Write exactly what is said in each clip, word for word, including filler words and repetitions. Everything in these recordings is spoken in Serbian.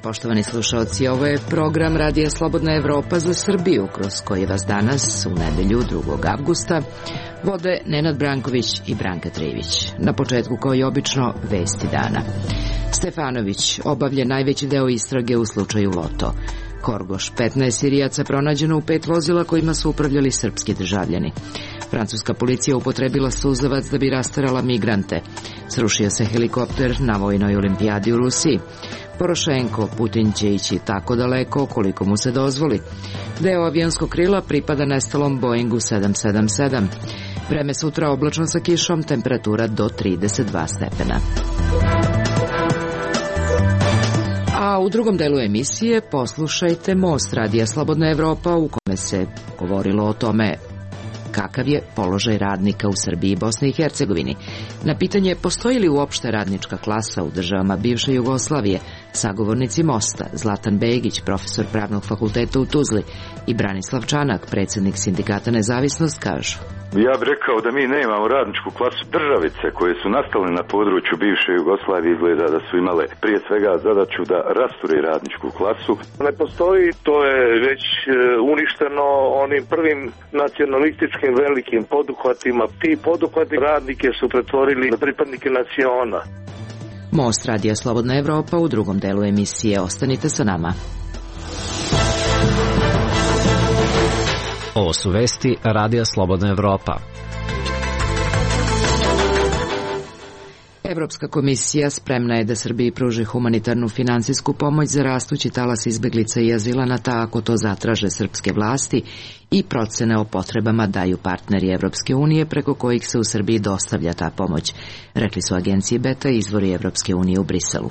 poštovani slušalci. Ovo je program Radija Slobodna Evropa za Srbiju, kroz koji vas danas, u nedelju drugog avgusta, vode Nenad Branković i Branka Trivić. Na početku, kao i obično, vesti dana. Stefanović obavlja najveći deo istrage u slučaju Loto. Horgoš, petnaest Sirijaca pronađeno u pet vozila kojima su upravljali srpski državljani. Francuska policija upotrebila suzavac da bi rasterala migrante. Srušio se helikopter na vojnoj olimpijadi u Rusiji. Porošenko, Putin će ići tako daleko koliko mu se dozvoli. Deo avionskog krila pripada nestalom Boeingu sedam sedam sedam. Vreme sutra oblačno sa kišom, temperatura do trideset dva stepena. A u drugom delu emisije poslušajte Most Radija Slobodna Evropa, u kome se govorilo o tome kakav je položaj radnika u Srbiji i Bosni i Hercegovini. Na pitanje postoji li uopšte radnička klasa u državama bivše Jugoslavije, sagovornici Mosta, Zlatan Begić, profesor Pravnog fakulteta u Tuzli, i Branislav Čanak, predsjednik Sindikata Nezavisnost, kažu: Ja bih rekao da mi nemamo radničku klasu. Državice koje su nastale na području bivše Jugoslavije izgleda da su imale prije svega zadaću da rasture radničku klasu. Ne postoji, to je već uništeno onim prvim nacionalističkim velikim poduhvatima. Ti poduhvati radnike su pretvorili na pripadnike naciona. Most Radija Slobodna Evropa u drugom delu emisije. Ostanite sa nama. Ovo su vesti Radija Slobodna Evropa. Evropska komisija spremna je da Srbiji pruži humanitarnu finansijsku pomoć za rastući talas izbeglica i azilanata ako to zatraže srpske vlasti, i procene o potrebama daju partneri Evropske unije preko kojih se u Srbiji dostavlja ta pomoć, rekli su agenciji Beta i izvori Evropske unije u Briselu.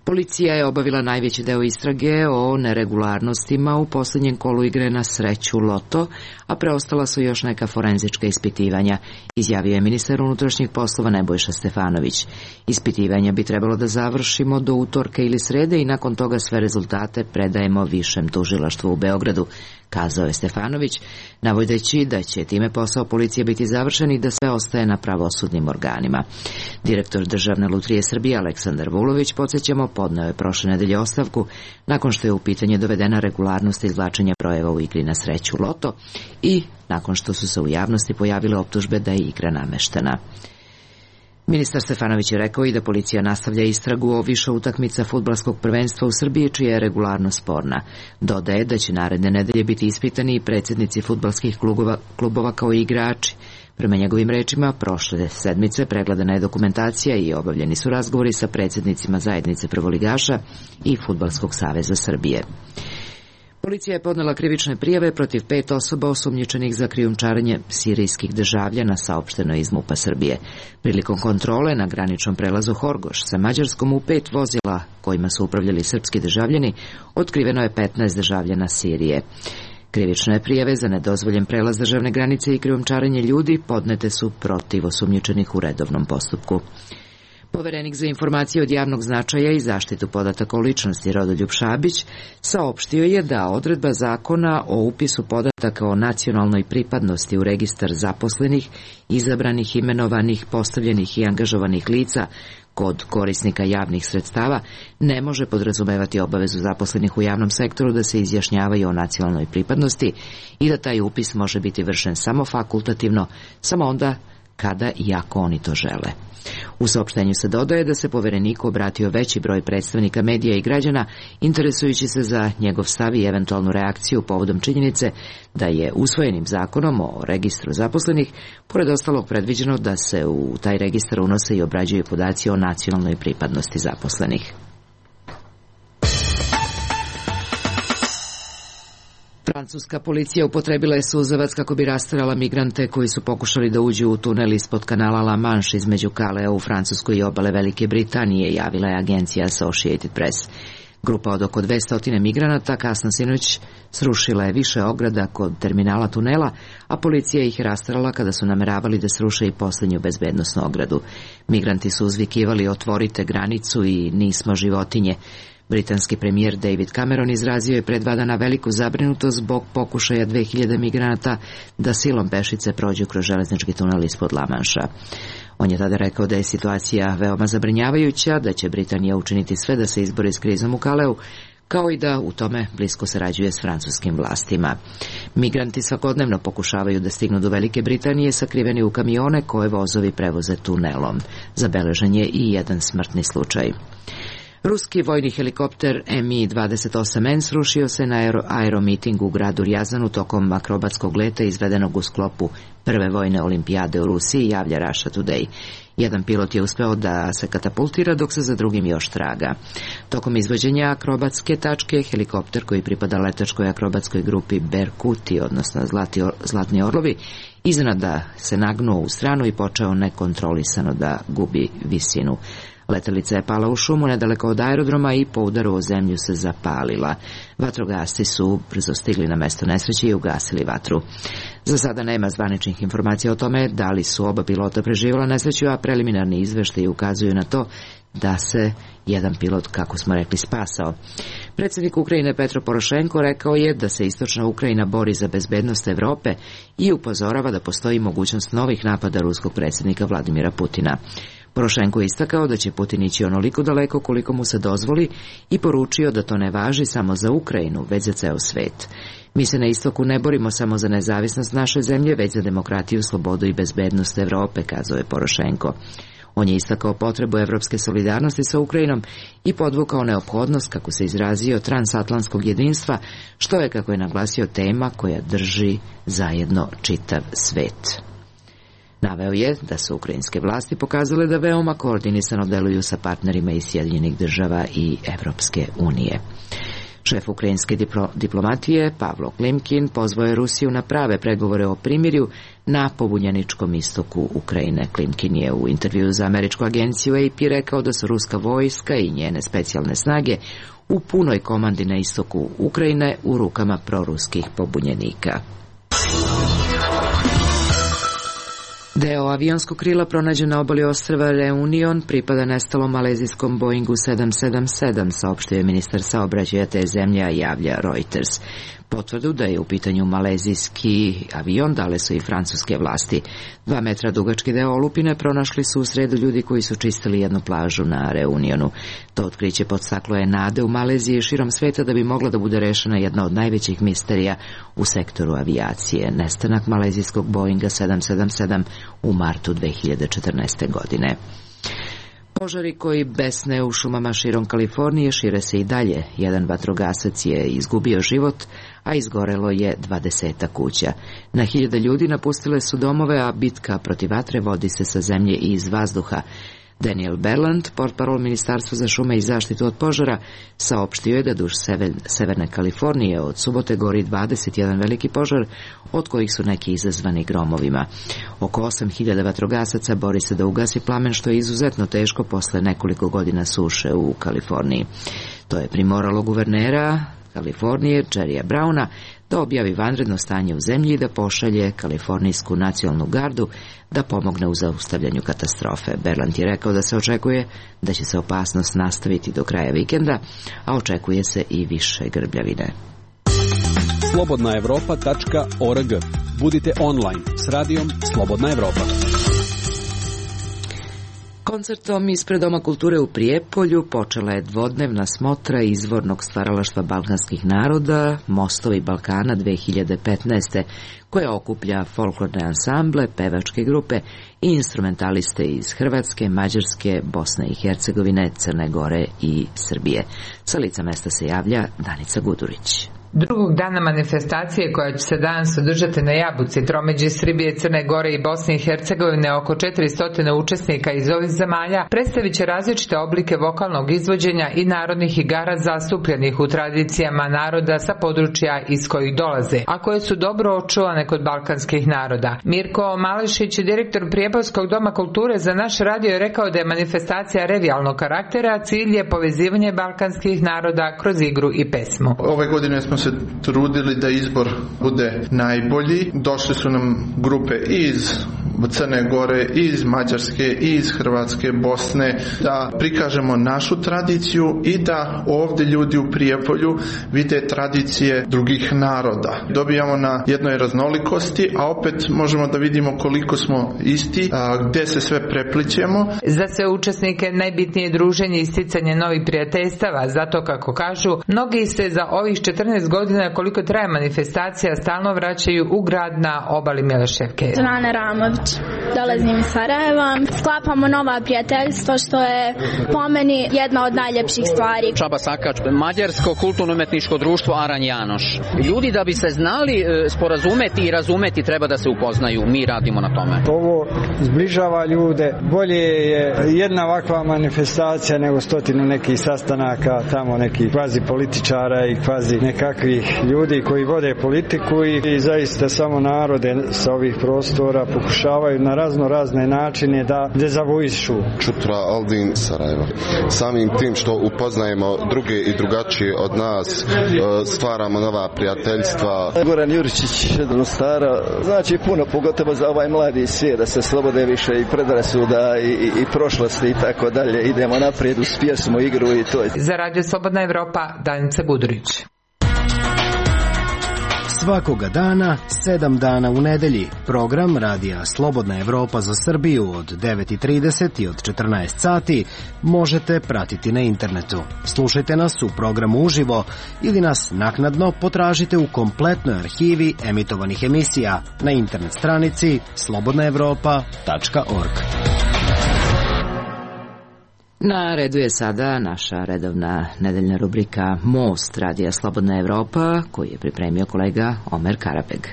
Policija je obavila najveći deo istrage o neregularnostima u posljednjem kolu igre na sreću Loto, a preostala su još neka forenzička ispitivanja, izjavio je ministar unutrašnjih poslova Nebojša Stefanović. Ispitivanja bi trebalo da završimo do utorka ili srede i nakon toga sve rezultate predajemo višem tužilaštvu u Beogradu, kazao je Stefanović, navodeći da će time posao policije biti završen i da sve ostaje na pravosudnim organima. Direktor Državne lutrije Srbije Aleksandar Vulović, podsjećamo, podneo je prošle nedelje ostavku nakon što je u pitanje dovedena regularnost izvlačenja brojeva u igri na sreću Loto i nakon što su se u javnosti pojavile optužbe da je igra nameštena. Ministar Stefanović je rekao i da policija nastavlja istragu o više utakmica fudbalskog prvenstva u Srbiji čija je regularnost sporna. Dodaje da će naredne nedelje biti ispitani i predsjednici fudbalskih klubova, klubova kao i igrači. Prema njegovim rečima, prošle sedmice pregledana je dokumentacija i obavljeni su razgovori sa predsjednicima zajednice prvoligaša i Fudbalskog saveza Srbije. Policija je podnela krivične prijave protiv pet osoba osumnjičenih za krijumčarenje sirijskih državljana, saopšteno iz MUP-a Srbije. Prilikom kontrole na graničnom prelazu Horgoš sa Mađarskom u pet vozila kojima su upravljali srpski državljani, otkriveno je petnaest državljana Sirije. Krivične prijave za nedozvoljen prelaz državne granice i krijumčarenje ljudi podnete su protiv osumnjičenih u redovnom postupku. Poverenik za informacije od javnog značaja i zaštitu podataka o ličnosti Rodoljub Šabić saopštio je da odredba zakona o upisu podataka o nacionalnoj pripadnosti u registar zaposlenih, izabranih, imenovanih, postavljenih i angažovanih lica kod korisnika javnih sredstava ne može podrazumevati obavezu zaposlenih u javnom sektoru da se izjašnjavaju o nacionalnoj pripadnosti i da taj upis može biti vršen samo fakultativno, samo onda kada i ako oni to žele. U saopštenju se dodaje da se povereniku obratio veći broj predstavnika medija i građana, interesujući se za njegov stav i eventualnu reakciju povodom činjenice da je usvojenim zakonom o registru zaposlenih, pored ostalog, predviđeno da se u taj registar unose i obrađuju podaci o nacionalnoj pripadnosti zaposlenih. Francuska policija upotrebila je suzavac kako bi rasterala migrante koji su pokušali da uđu u tunel ispod kanala La Manche između Kalea u Francuskoj i obale Velike Britanije, javila je agencija Associated Press. Grupa od oko dvesta migranata kasno sinoć srušila je više ograda kod terminala tunela, a policija ih je rasterala kada su nameravali da sruše i posljednju bezbednosnu ogradu. Migranti su uzvikivali otvorite granicu i nismo životinje. Britanski premijer David Cameron izrazio je pre dva dana veliku zabrinutost zbog pokušaja dve hiljade migranata da silom pešice prođu kroz železnički tunel ispod La Manša. On je tada rekao da je situacija veoma zabrinjavajuća, da će Britanija učiniti sve da se izbori s krizom u Kaleu, kao i da u tome blisko sarađuje s francuskim vlastima. Migranti svakodnevno pokušavaju da stignu do Velike Britanije sakriveni u kamione koje vozovi prevoze tunelom. Zabeležen je i jedan smrtni slučaj. Ruski vojni helikopter M I dvadeset osam N srušio se na aero, aeromitingu u gradu Rjazanu tokom akrobatskog leta izvedenog u sklopu prve vojne olimpijade u Rusiji, javlja Russia Today. Jedan pilot je uspeo da se katapultira, dok se za drugim još traga. Tokom izvođenja akrobatske tačke, helikopter koji pripada letačkoj akrobatskoj grupi Berkuti, odnosno Zlati, Zlatni orlovi, iznenada se nagnuo u stranu i počeo nekontrolisano da gubi visinu. Letelica je pala u šumu nedaleko od aerodroma i po udaru o zemlju se zapalila. Vatrogasci su brzo stigli na mesto nesreće i ugasili vatru. Za sada nema zvaničnih informacija o tome da li su oba pilota preživjela nesreću, a preliminarni izveštaji ukazuju na to da se jedan pilot, kako smo rekli, spasao. Predsjednik Ukrajine Petro Porošenko rekao je da se istočna Ukrajina bori za bezbednost Evrope i upozorava da postoji mogućnost novih napada ruskog predsjednika Vladimira Putina. Porošenko je istakao da će Putin ići onoliko daleko koliko mu se dozvoli i poručio da to ne važi samo za Ukrajinu, već za ceo svet. Mi se na istoku ne borimo samo za nezavisnost naše zemlje, već za demokratiju, slobodu i bezbednost Evrope, kazao je Porošenko. On je istakao potrebu evropske solidarnosti sa Ukrajinom i podvukao neophodnost, kako se izrazio, transatlantskog jedinstva, što je, kako je naglasio, tema koja drži zajedno čitav svet. Naveo je da su ukrajinske vlasti pokazale da veoma koordinisano deluju sa partnerima iz Sjedinjenih država i Evropske unije. Šef ukrajinske diplo, diplomatije Pavlo Klimkin pozvao je Rusiju na prave pregovore o primirju na pobunjeničkom istoku Ukrajine. Klimkin je u intervjuu za američku agenciju A P rekao da su ruska vojska i njene specijalne snage u punoj komandi na istoku Ukrajine u rukama proruskih pobunjenika. Deo avionskog krila pronađen na obali ostrva Reunion pripada nestalom malezijskom Boeingu sedam sedam sedam, saopštio je ministar saobraćaja te zemlje, javlja Reuters. Potvrdu da je u pitanju malezijski avion dale su i francuske vlasti. Dva metra dugački deo olupine pronašli su u sredu ljudi koji su čistili jednu plažu na Reunionu. To otkriće podstaklo je nade u Maleziji i širom sveta da bi mogla da bude rešena jedna od najvećih misterija u sektoru avijacije, nestanak malezijskog Boeinga sedam sedam sedam u martu dve hiljade četrnaeste. godine. Požari koji besne u šumama širom Kalifornije šire se i dalje. Jedan vatrogasac je izgubio život, a izgorelo je dvadesetak kuća. Na hiljade ljudi napustile su domove, a bitka protiv vatre vodi se sa zemlje i iz vazduha. Daniel Berland, portparol Ministarstva za šume i zaštitu od požara, saopštio je da duž severne Kalifornije od subote gori dvadeset jedan veliki požar, od kojih su neki izazvani gromovima. Oko osam hiljada vatrogasaca bori se da ugasi plamen, što je izuzetno teško posle nekoliko godina suše u Kaliforniji. To je primoralo guvernera Kalifornije, Jerrya Browna, da objavi vanredno stanje u zemlji i da pošalje Kalifornijsku nacionalnu gardu da pomogne u zaustavljanju katastrofe. Berland je rekao da se očekuje da će se opasnost nastaviti do kraja vikenda, a očekuje se i više grbljavine. slobodna evropa tačka org. Budite online s radijom Slobodna Evropa. Koncertom ispred Doma kulture u Prijepolju počela je dvodnevna smotra izvornog stvaralaštva balkanskih naroda Mostovi Balkana dve hiljade petnaeste. koja okuplja folklorne ansamble, pevačke grupe i instrumentaliste iz Hrvatske, Mađarske, Bosne i Hercegovine, Crne Gore i Srbije. Sa lica mesta se javlja Danica Gudurić. Drugog dana manifestacije koja će se danas održati na Jabuci, tromeđi Srbije, Crne Gore i Bosne i Hercegovine, oko četiristo učesnika iz ovih zemalja predstavit će različite oblike vokalnog izvođenja i narodnih igara zastupljenih u tradicijama naroda sa područja iz kojih dolaze, a koje su dobro očuvane kod balkanskih naroda. Mirko Malešić, direktor Prijepoljskog doma kulture, za naš radio je rekao da je manifestacija revijalnog karaktera, a cilj je povezivanje balkanskih naroda kroz igru i pesmu. Ove godine smo se trudili da izbor bude najbolji. Došli su nam grupe iz Crne Gore, iz Mađarske, iz Hrvatske, Bosne, da prikažemo našu tradiciju i da ovdje ljudi u Prijepolju vide tradicije drugih naroda. Dobijamo na jednoj raznolikosti, a opet možemo da vidimo koliko smo isti, a gdje se sve preplićemo. Za sve učesnike najbitnije je druženje i sticanje novih prijateljstava, zato kako kažu, mnogi se za ovih četrnaest godina koliko traje manifestacija stalno vraćaju u grad na obali Mileševke. Zvana Ramović, dolazim iz Sarajeva, sklapamo nova prijateljstva što je po meni jedna od najljepših stvari. Čaba Sakač, Mađarsko kulturno-umetničko društvo Aran Janoš. Ljudi da bi se znali sporazumeti i razumeti treba da se upoznaju, mi radimo na tome. Ovo zbližava ljude, bolje je jedna ovakva manifestacija nego stotinu nekih sastanaka, tamo nekih kvazi političara i kvazi nekakvih ljudi koji vode politiku i, i zaista samo narode sa ovih prostora pokušavaju na razno razne načine da dezavuišu. Čutra Aldin, Sarajevo. Samim tim što upoznajemo druge i drugačije od nas, stvaramo nova prijateljstva. Goran Juričić, Stara, znači puno, pogotovo za ovaj mladi svijet, da se slobode više i predrasuda i, i, i prošlosti i tako dalje. Idemo naprijed uz pjesmu, igru i to. Za Radio Slobodna Evropa, Danica Budurić. Svakoga dana, sedam dana u nedelji, program Radija Slobodna Evropa za Srbiju od devet i trideset i od četrnaest sati možete pratiti na internetu. Slušajte nas u programu uživo ili nas naknadno potražite u kompletnoj arhivi emitovanih emisija na internet stranici slobodna evropa tačka org. Na redu je sada naša redovna nedeljna rubrika Most Radija Slobodna Evropa, koji je pripremio kolega Omer Karabeg.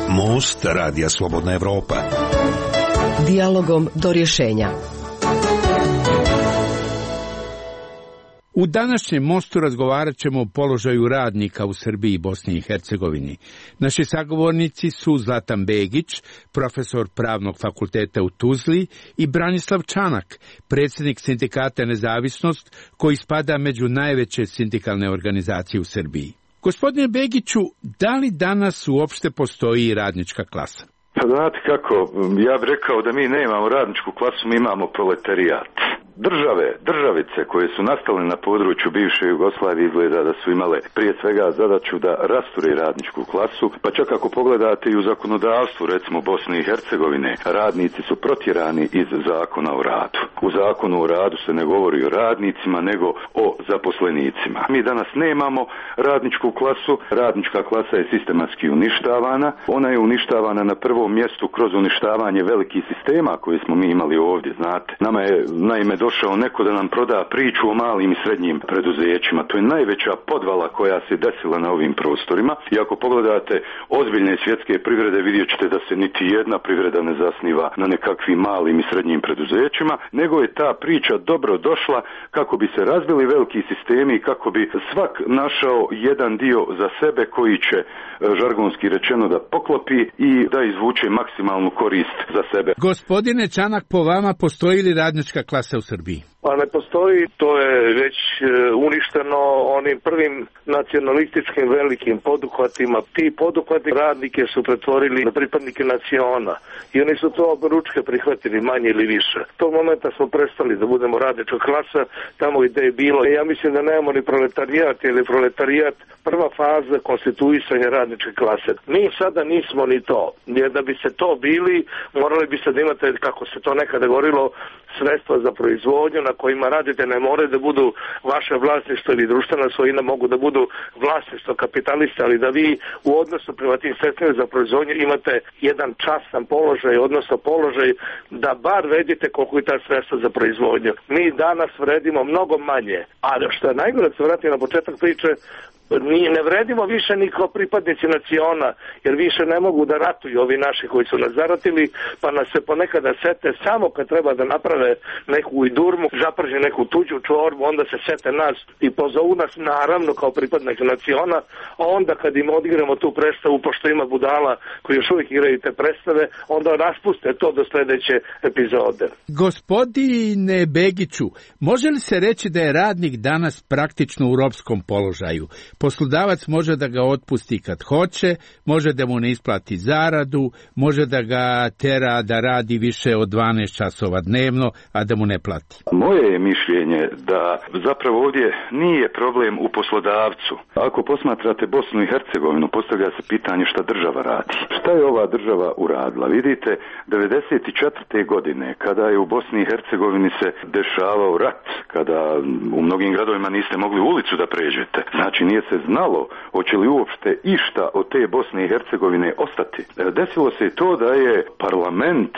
Most Radija Slobodna Evropa. Dijalogom do rješenja. U današnjem mostu razgovarat ćemo o položaju radnika u Srbiji i Bosni i Hercegovini. Naši sagovornici su Zlatan Begić, profesor Pravnog fakulteta u Tuzli, i Branislav Čanak, predsjednik sindikata Nezavisnost, koji spada među najveće sindikalne organizacije u Srbiji. Gospodine Begiću, da li danas uopšte postoji radnička klasa? Pa znate kako, ja bih rekao da mi nemamo radničku klasu, mi imamo proletarijat. Države, državice koje su nastale na području bivše Jugoslavije izgleda da su imale prije svega zadaću da rasture radničku klasu, pa čak ako pogledate i u zakonodavstvu, recimo Bosne i Hercegovine, radnici su protjerani iz zakona o radu. U zakonu o radu se ne govori o radnicima, nego o zaposlenicima. Mi danas nemamo radničku klasu, radnička klasa je sistematski uništavana, ona je uništavana na prvom mjestu kroz uništavanje velikih sistema koje smo mi imali ovdje, znate. Nama je naime došao neko da nam proda priču o malim i srednjim preduzećima. To je najveća podvala koja se desila na ovim prostorima. I ako pogledate ozbiljne svjetske privrede, vidjet ćete da se niti jedna privreda ne zasniva na nekakvim malim i srednjim preduzećima, nego je ta priča dobro došla kako bi se razbili veliki sistemi i kako bi svak našao jedan dio za sebe koji će, žargonski rečeno, da poklopi i da izvuče maksimalnu korist za sebe. Gospodine Čanak, po vama postoji li radnička klasa u Srbiji? Pa ne postoji, to je već uništeno onim prvim nacionalističkim velikim poduhvatima. Ti poduhvati radnike su pretvorili na pripadnike naciona i oni su to oberučke prihvatili manje ili više. Tog momenta smo prestali da budemo radnička klasa tamo gdje je bilo. Ja mislim da nemamo ni proletarijat ili proletarijat prva faza konstituisanja radničke klase. Mi sada nismo ni to. Jer da bi se to bili, morali biste da imate, kako se to nekada govorilo, sredstva za proizvodnju na kojima radite, ne moraju da budu vaše vlasništvo ili društvena svojina, mogu da budu vlasništvo kapitalista, ali da vi u odnosu prema tim sredstvima za proizvodnju imate jedan častan položaj, odnosno položaj da bar vedite koliko je ta sredstva za proizvodnju. Mi danas vredimo mnogo manje, ali što je najgore, da se vratim na početak priče, ni, ne vredimo više ni kao pripadnici naciona, jer više ne mogu da ratuju ovi naši koji su nas zaratili, pa nas se ponekada sete samo kad treba da naprave neku idurmu, zaprže neku tuđu čorbu, onda se sete nas i pozovu nas naravno kao pripadnik naciona, a onda kad im odigramo tu predstavu, pošto ima budala koji još uvijek igraju te predstave, onda raspuste to do sljedeće epizode. Gospodine Begiću, može li se reći da je radnik danas praktično u ropskom položaju? Poslodavac može da ga otpusti kad hoće, može da mu ne isplati zaradu, može da ga tera da radi više od dvanaest časova dnevno, a da mu ne plati. Moje je mišljenje da zapravo ovdje nije problem u poslodavcu. Ako posmatrate Bosnu i Hercegovinu, postavlja se pitanje šta država radi. Šta je ova država uradila? Vidite, devedeset četvrte godine, kada je u Bosni i Hercegovini se dešavao rat, kada u mnogim gradovima niste mogli ulicu da pređete, znači nije se znalo hoće li uopšte išta od te Bosne i Hercegovine ostati. Desilo se to da je parlament,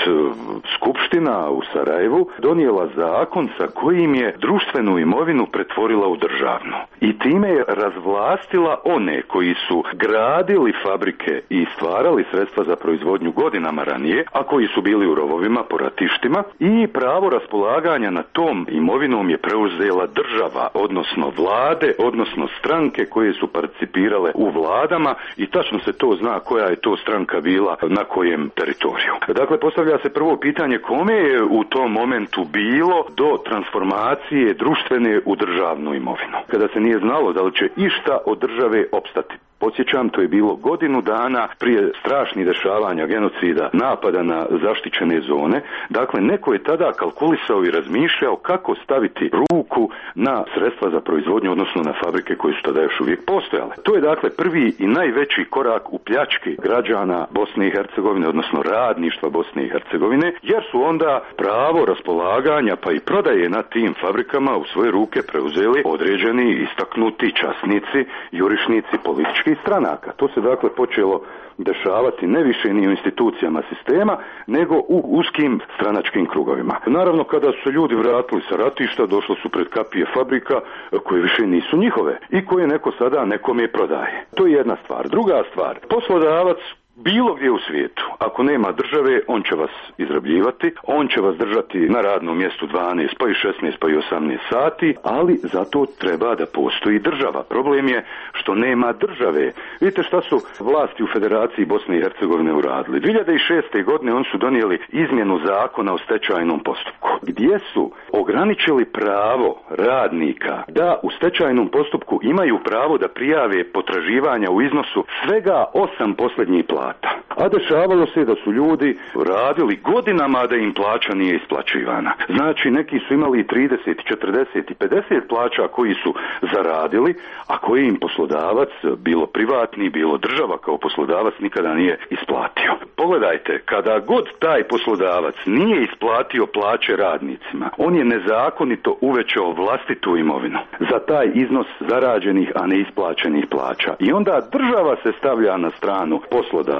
skupština u Sarajevu donijela zakon sa kojim je društvenu imovinu pretvorila u državnu. I time je razvlastila one koji su gradili fabrike i stvarali sredstva za proizvodnju godinama ranije, a koji su bili u rovovima po ratištima, i pravo raspolaganja na tom imovinom je preuzela država, odnosno vlade, odnosno stranke koje su participirale u vladama, i tačno se to zna koja je to stranka bila na kojem teritoriju. Dakle, postavlja se prvo pitanje kome je u tom momentu bilo do transformacije društvene u državnu imovinu, kada se nije znalo da li će išta od države opstati. Podsjećam, to je bilo godinu dana prije strašnih dešavanja, genocida, napada na zaštićene zone. Dakle, neko je tada kalkulisao i razmišljao kako staviti ruku na sredstva za proizvodnju, odnosno na fabrike koje su tada još uvijek postojale. To je dakle prvi i najveći korak u pljački građana Bosne i Hercegovine, odnosno radništva Bosne i Hercegovine, jer su onda pravo raspolaganja pa i prodaje na tim fabrikama u svoje ruke preuzeli određeni istaknuti časnici, jurišnici politički stranaka. To se dakle počelo dešavati ne više ni u institucijama sistema, nego u uskim stranačkim krugovima. Naravno, kada su se ljudi vratili sa ratišta, došlo su pred kapije fabrika koje više nisu njihove i koje neko sada nekome prodaje. To je jedna stvar. Druga stvar, poslodavac bilo gdje u svijetu, ako nema države, on će vas izrabljivati, on će vas držati na radnom mjestu dvanaest, pa i šesnaest, pa i osamnaest sati, ali zato treba da postoji država. Problem je što nema države. Vidite šta su vlasti u Federaciji Bosne i Hercegovine uradili. dvije hiljade šeste. godine oni su donijeli izmjenu zakona o stečajnom postupku, gdje su ograničili pravo radnika da u stečajnom postupku imaju pravo da prijave potraživanja u iznosu svega osam posljednjih plata. A dešavalo se da su ljudi radili godinama da im plaća nije isplaćivana. Znači, neki su imali trideset, četrdeset i pedeset plaća koji su zaradili, a koji im poslodavac, bilo privatni, bilo država kao poslodavac, nikada nije isplatio. Pogledajte, kada god taj poslodavac nije isplatio plaće radnicima, on je nezakonito uvećao vlastitu imovinu za taj iznos zarađenih, a neisplaćenih plaća. I onda država se stavlja na stranu poslodavca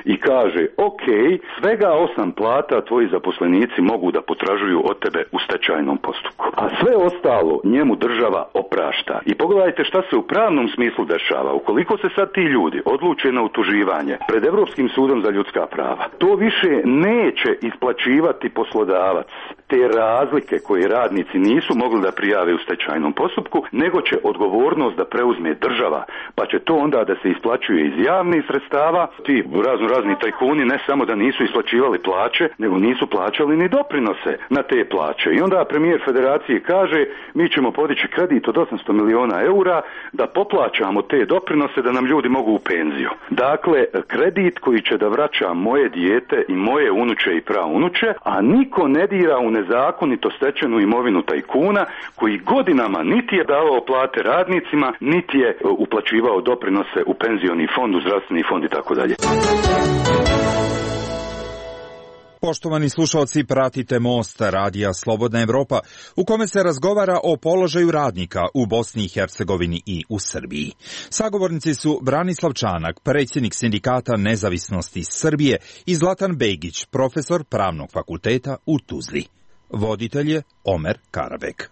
i kaže, ok, svega osam plata tvoji zaposlenici mogu da potražuju od tebe u stečajnom postupku. A sve ostalo njemu država oprašta. I pogledajte šta se u pravnom smislu dešava. Ukoliko se sad ti ljudi odluče na utuživanje pred Europskim sudom za ljudska prava, to više neće isplaćivati poslodavac te razlike koje radnici nisu mogli da prijave u stečajnom postupku, nego će odgovornost da preuzme država, pa će to onda da se isplaćuje iz javnih sredstava. Ti razno razni tajkuni ne samo da nisu isplaćivali plaće, nego nisu plaćali ni doprinose na te plaće. I onda premijer federacije kaže, mi ćemo podići kredit od osamsto miliona eura da poplaćamo te doprinose da nam ljudi mogu u penziju. Dakle, kredit koji će da vraća moje dijete i moje unuče i praunuče, a niko ne dira u nezakonito stečenu imovinu tajkuna koji godinama niti je davao plate radnicima, niti je uplaćivao doprinose u penzioni fond, u zdravstveni fond i tako dalje. Poštovani slušalci, pratite Most, radija Slobodna Evropa, u kome se razgovara o položaju radnika u Bosni i Hercegovini i u Srbiji. Sagovornici su Branislav Čanak, predsjednik Sindikata nezavisnosti Srbije, i Zlatan Begić, profesor Pravnog fakulteta u Tuzli. Voditelj je Omer Karabek.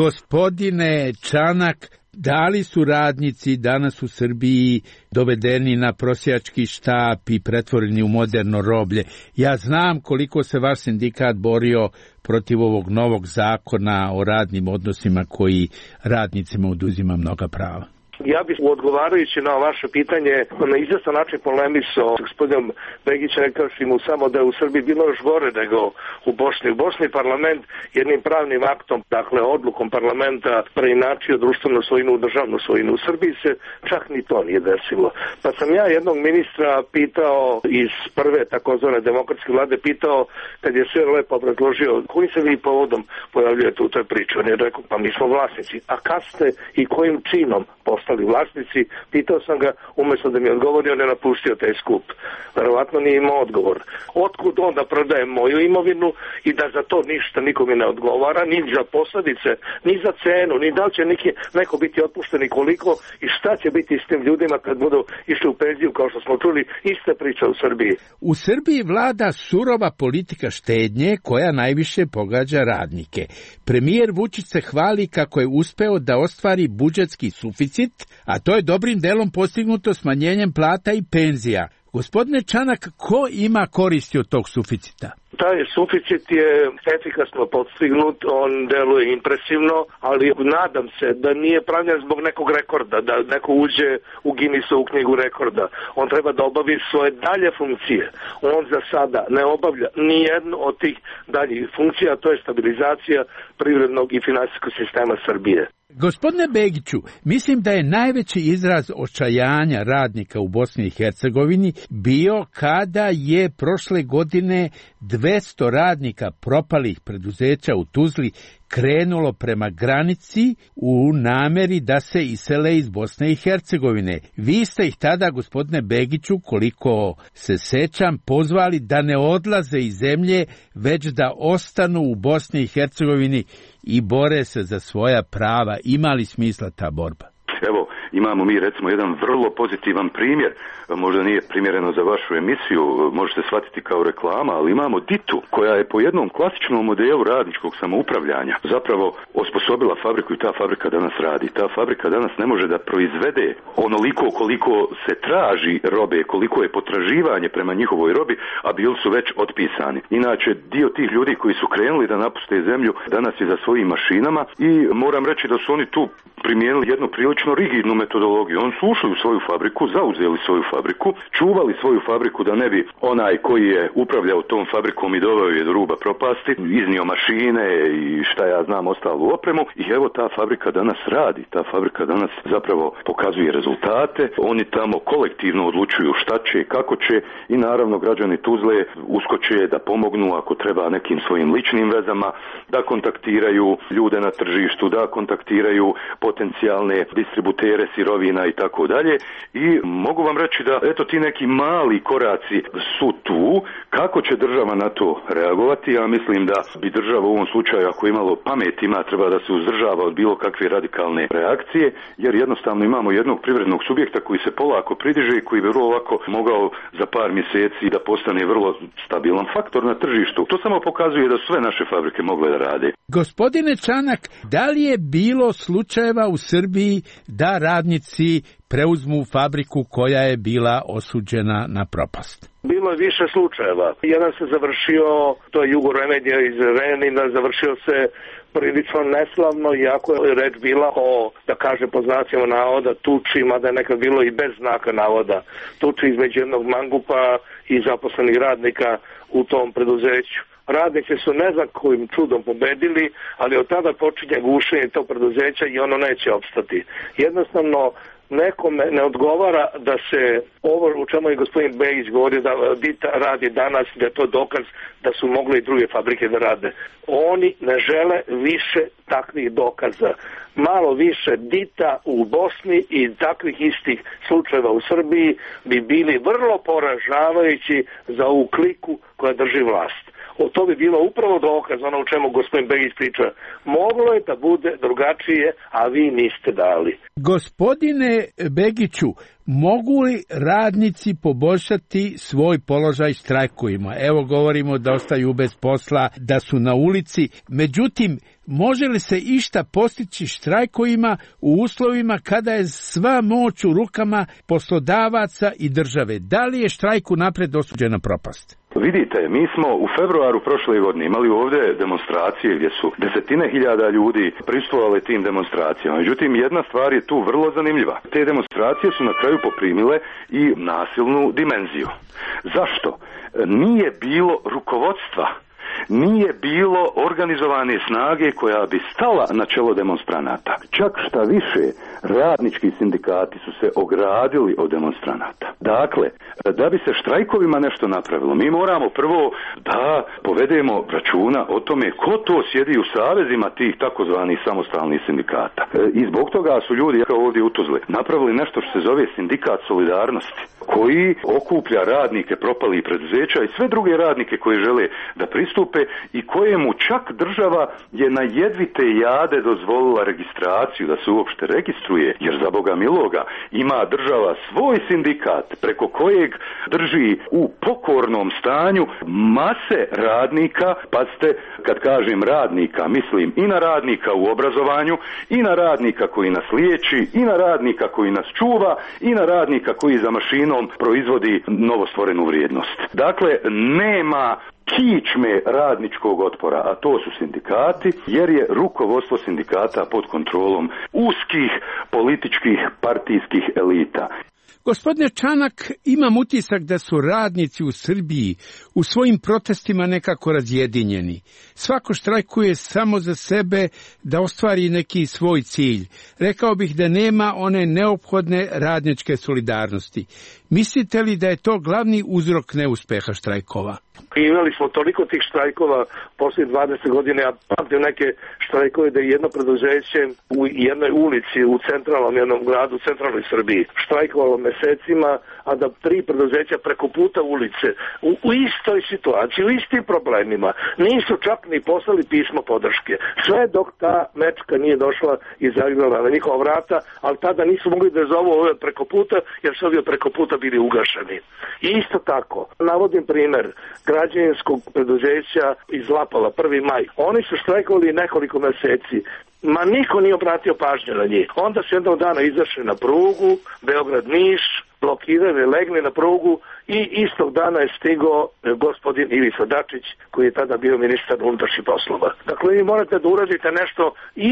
Gospodine Čanak, da li su radnici danas u Srbiji dovedeni na prosjački štap i pretvoreni u moderno roblje? Ja znam koliko se vaš sindikat borio protiv ovog novog zakona o radnim odnosima koji radnicima oduzima mnoga prava. Ja bih odgovarajući na vaše pitanje na izvestan način polemisao s gospodinom Begićem, rekavši mu samo da je u Srbiji bilo još gore nego u Bosni. U Bosni parlament jednim pravnim aktom, dakle odlukom parlamenta, preinačio društvenu svojinu u državnu svojinu. U Srbiji se čak ni to nije desilo. Pa sam ja jednog ministra pitao iz prve takozvane demokratske vlade, pitao kad je sve lepo obrazložio kojim se vi povodom pojavljujete u toj priči. On je rekao, pa mi smo vlasnici. A kad ste i kojim činom postali vlasnici? Pitao sam ga, umjesto da mi odgovori, on je napustio taj skup. Verovatno nije imao odgovor. Otkud onda prodajem moju imovinu i da za to ništa nikome ne odgovara, ni za posljedice, ni za cenu, ni da li će neki, neko biti otpušten i koliko i šta će biti s tim ljudima kad budu išli u penziju, kao što smo čuli, ista priča u Srbiji. U Srbiji vlada surova politika štednje koja najviše pogađa radnike. Premijer Vučić se hvali kako je uspeo da ostvari budžetski suficit, a to je dobrim delom postignuto smanjenjem plata i penzija. Gospodine Čanak, ko ima koristi od tog suficita? Taj suficit je efikasno postignut, on deluje impresivno, ali nadam se da nije pravljen zbog nekog rekorda, da neko uđe u Guinnessovu knjigu rekorda. On treba da obavi svoje dalje funkcije. On za sada ne obavlja ni jednu od tih daljih funkcija, to je stabilizacija privrednog i finansijskog sistema Srbije. Gospodine Begiću, mislim da je najveći izraz očajanja radnika u Bosni i Hercegovini bio kada je prošle godine dvesta radnika propalih preduzeća u Tuzli krenulo prema granici u nameri da se isele iz Bosne i Hercegovine. Vi ste ih tada, gospodine Begiću, koliko se sećam, pozvali da ne odlaze iz zemlje, već da ostanu u Bosni i Hercegovini i bore se za svoja prava. Ima li smisla ta borba? Evo, imamo mi recimo jedan vrlo pozitivan primjer, možda nije primjereno za vašu emisiju, možete shvatiti kao reklama, ali imamo Ditu koja je po jednom klasičnom modelu radničkog samoupravljanja zapravo osposobila fabriku i ta fabrika danas radi. Ta fabrika danas ne može da proizvede onoliko koliko se traži robe, koliko je potraživanje prema njihovoj robi, a bili su već otpisani. Inače, dio tih ljudi koji su krenuli da napuste zemlju danas je za svojim mašinama i moram reći da su oni tu primijenili jednu prilično rigidnu metodologiju. Oni su ušli u svoju fabriku, zauzeli svoju fabriku, čuvali svoju fabriku da ne bi onaj koji je upravljao tom fabrikom i doveo je do ruba propasti, iznio mašine i šta ja znam ostalu opremu i evo ta fabrika danas radi, ta fabrika danas zapravo pokazuje rezultate, oni tamo kolektivno odlučuju šta će, kako će i naravno građani Tuzle uskoče da pomognu ako treba nekim svojim ličnim vezama, da kontaktiraju ljude na tržištu, da kontaktiraju potencijalne distributere sirovina i tako dalje i mogu vam reći da eto ti neki mali koraci su tu, kako će država na to reagovati, ja mislim da bi država u ovom slučaju ako imalo pamet ima treba da se uzdržava od bilo kakve radikalne reakcije, jer jednostavno imamo jednog privrednog subjekta koji se polako pridiže i koji bi vrlo lako mogao za par mjeseci da postane vrlo stabilan faktor na tržištu. To samo pokazuje da sve naše fabrike mogle da rade. Gospodine Čanak, da li je bilo slučajeva u Srbiji da radnici preuzmu fabriku koja je bila osuđena na propast? Bilo je više slučajeva. Jedan se završio, to je Jugo Remedija iz Renina, završio se prilično neslavno, iako je reč bila o, da kaže po znacima navoda, tuči, mada je nekad bilo i bez znaka navoda, tuči između jednog mangupa i zaposlenih radnika u tom preduzeću. Radnici su ne znam kojim čudom pobedili, ali od tada počinje gušenje tog preduzeća i ono neće opstati. Jednostavno, nekome ne odgovara da se ovo u čemu je gospodin Begić govorio da Dita radi danas, da je to dokaz da su mogle i druge fabrike da rade. Oni ne žele više takvih dokaza. Malo više Dita u Bosni i takvih istih slučajeva u Srbiji bi bili vrlo poražavajući za ovu kliku koja drži vlast. O to bi bilo upravo dokaz, ono u čemu gospodin Begić priča. Moglo je da bude drugačije, a vi niste dali. Gospodine Begiću, mogu li radnici poboljšati svoj položaj štrajkovima? Evo govorimo da ostaju bez posla, da su na ulici. Međutim, može li se išta postići štrajkovima u uslovima kada je sva moć u rukama poslodavaca i države? Da li je štrajk unapred osuđena propast? Vidite, mi smo u februaru prošle godine imali ovdje demonstracije gdje su desetine hiljada ljudi prisustvovali tim demonstracijama. Međutim, jedna stvar je tu vrlo zanimljiva. Te demonstracije su na kraju poprimile i nasilnu dimenziju. Zašto? Nije bilo rukovodstva. Nije bilo organizovane snage koja bi stala na čelo demonstranata. Čak šta više, radnički sindikati su se ogradili od demonstranata. Dakle, da bi se štrajkovima nešto napravilo, mi moramo prvo da povedemo računa o tome ko to sjedi u savezima tih takozvanih samostalnih sindikata. I zbog toga su ljudi, kao ovdje u Tuzli, napravili nešto što se zove sindikat solidarnosti, koji okuplja radnike propalih preduzeća i sve druge radnike koji žele da pristupe i kojemu čak država je na jedvite jade dozvolila registraciju, da se uopšte registruje, jer za Boga miloga ima država svoj sindikat preko kojeg drži u pokornom stanju mase radnika. Pazite, kad kažem radnika, mislim i na radnika u obrazovanju, i na radnika koji nas liječi, i na radnika koji nas čuva, i na radnika koji za mašinom proizvodi novostvorenu vrijednost. Dakle, nema kičme radničkog otpora, a to su sindikati, jer je rukovodstvo sindikata pod kontrolom uskih političkih partijskih elita. Gospodine Čanak, imam utisak da su radnici u Srbiji u svojim protestima nekako razjedinjeni. Svako štrajkuje samo za sebe da ostvari neki svoj cilj. Rekao bih da nema one neophodne radničke solidarnosti. Mislite li da je to glavni uzrok neuspeha štrajkova? Imali smo toliko tih štrajkova poslije dvadeset godina, ja pamtim neke štrajkove da je jedno preduzeće u jednoj ulici u centralnom jednom gradu, u centralnoj Srbiji, štrajkovalo mesecima, a da tri preduzeća preko puta ulice u, u istoj situaciji, u istim problemima, nisu čak ni poslali pismo podrške. Sve dok ta mečka nije došla i zagrala na njihova vrata, ali tada nisu mogli da zovu ove preko puta, jer su ovi preko puta bili ugašeni. I isto tako, navodim primer građevinskog preduzeća iz Lapala, prvi maj. Oni su štrajkovali nekoliko meseci. Ma niko nije obratio pažnju na njih. Onda su jednog dana izašli na prugu, Beograd-Niš, blokirali, legli na prugu i istog dana je stigao gospodin Ivica Dačić, koji je tada bio ministar unutrašnjih poslova. Dakle, vi morate da uradite nešto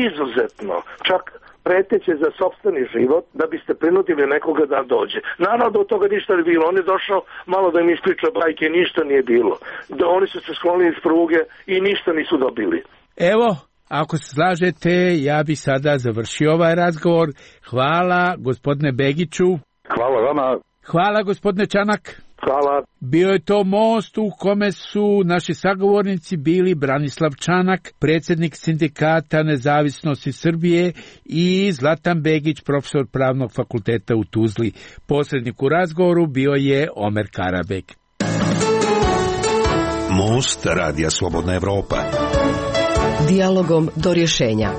izuzetno, čak preteće za sopstveni život, da biste prinudili nekoga da dođe. Naravno da od toga ništa ne bilo. On je došao malo da im ispriča bajke, ništa nije bilo. Da oni su se sklonili iz pruge i ništa nisu dobili. Evo, ako se slažete, ja bi sada završio ovaj razgovor. Hvala gospodine Begiću. Hvala vama. Hvala gospodine Čanak. Hvala. Bio je to most u kome su naši sagovornici bili Branislav Čanak, predsjednik Sindikata Nezavisnosti Srbije, i Zlatan Begić, profesor Pravnog fakulteta u Tuzli. Posrednik u razgovoru bio je Omer Karabek. Most Radija Slobodna Evropa. Dijalogom do rješenja.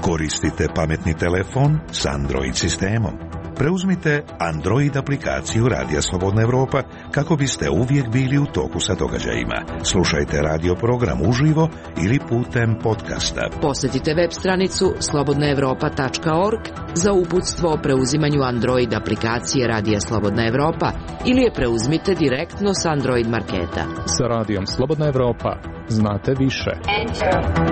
Koristite pametni telefon s Android sistemom. Preuzmite Android aplikaciju Radija Slobodna Evropa kako biste uvijek bili u toku sa događajima. Slušajte radio program uživo ili putem podcasta. Posjetite web stranicu slobodna evropa tačka org za uputstvo o preuzimanju Android aplikacije Radija Slobodna Evropa ili je preuzmite direktno s Android marketa. Sa Radijom Slobodna Evropa znate više. Enter.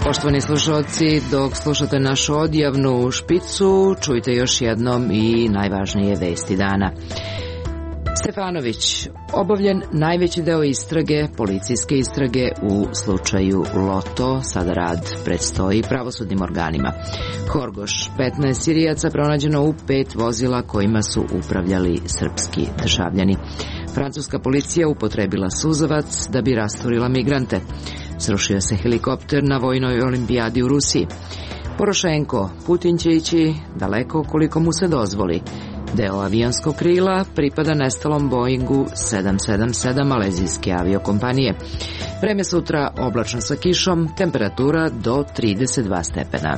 Poštovani slušalci, dok slušate našu odjavnu špicu, čujte još jednom i najvažnije vesti dana. Stefanović, obavljen najveći deo istrage, policijske istrage u slučaju Loto, sada rad predstoji pravosudnim organima. Horgoš, petnaest Sirijaca pronađeno u pet vozila kojima su upravljali srpski državljani. Francuska policija upotrebila suzavac da bi rasturila migrante. Srušio se helikopter na vojnoj olimpijadi u Rusiji. Porošenko, Putin će ići daleko koliko mu se dozvoli. Deo avionskog krila pripada nestalom Boeingu sedam sedam sedam malezijske aviokompanije. Vreme sutra oblačno sa kišom, temperatura do trideset dva stepena.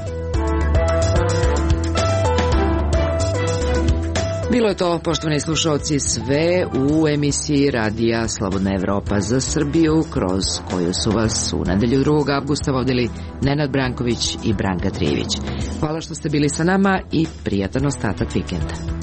Bilo je to, poštovani slušalci, sve u emisiji Radija Slobodna Evropa za Srbiju, kroz koju su vas u nedelju drugog avgusta vodili Nenad Branković i Branka Trijević. Hvala što ste bili sa nama i prijatan ostatak vikenda.